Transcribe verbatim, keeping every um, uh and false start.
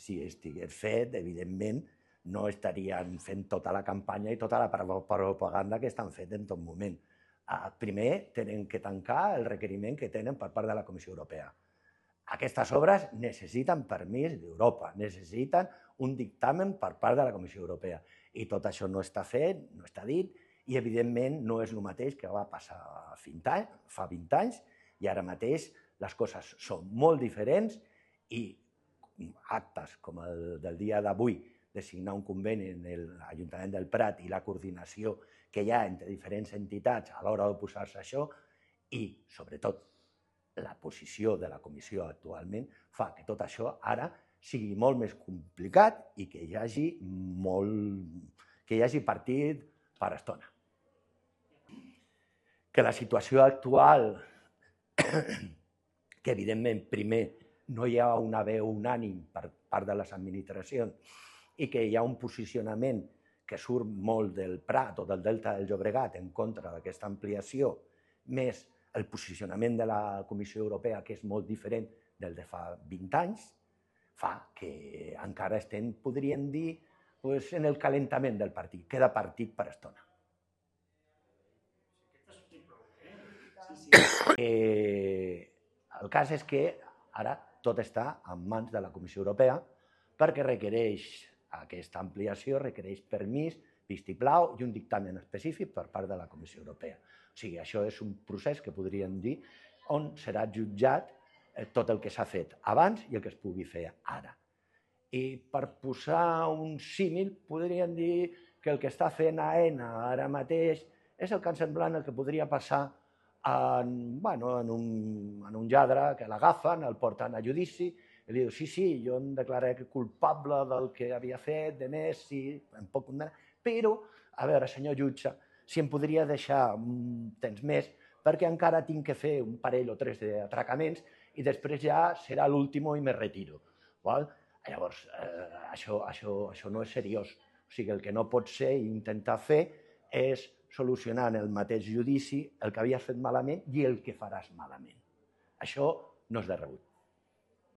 si estigués fet, evidentment, no estarien fent tota la campanya i tota la propaganda que estan fent en tot moment. Primer, tenen que tancar el requeriment que tenen per part de la Comissió Europea. Aquestes obres necessiten permís d'Europa, necessiten un dictamen per part de la Comissió Europea. I tot això no està fet, no està dit, i evidentment no és el mateix que va passar fa vint anys, i ara mateix les coses són molt diferents i actes com el del dia d'avui de signar un conveni en l'Ajuntament del Prat i la coordinació que hi ha entre diferents entitats a l'hora d'oposar-se a això i, sobretot, la posició de la comissió actualment fa que tot això ara sigui molt més complicat i que hi hagi molt... que hi hagi partit per estona. Que la situació actual, que evidentment primer no hi ha una veu unànime per part de les administracions i que hi ha un posicionament que surt molt del Prat o del Delta del Llobregat en contra d'aquesta ampliació, més el posicionament de la Comissió Europea, que és molt diferent del de fa vint anys, fa que encara estem, podríem dir, en el calentament del partit. Queda partit per estona. El cas és que ara tot està en mans de la Comissió Europea perquè requereix aquesta ampliació, requereix permís, vistiplau i un dictamen específic per part de la Comissió Europea. O sigui, això és un procés que podríem dir on serà jutjat tot el que s'ha fet abans i el que es pugui fer ara. I per posar un símil, podríem dir que el que està fent AENA ara mateix és el que semblant el que podria passar en un lladre que l'agafen, el porten a judici i li diu, sí, sí, jo em declaré culpable del que havia fet, de més, sí, em pot condemnar, però, a veure, senyor jutge, si em podria deixar un temps més perquè encara tinc que fer un parell o tres d'atracaments i després ja serà l'últim i me retiro. Llavors, això no és seriós. O sigui, el que no pot ser i intentar fer és solucionar en el mateix judici el que havies fet malament i el que faràs malament. Això no és de rebut.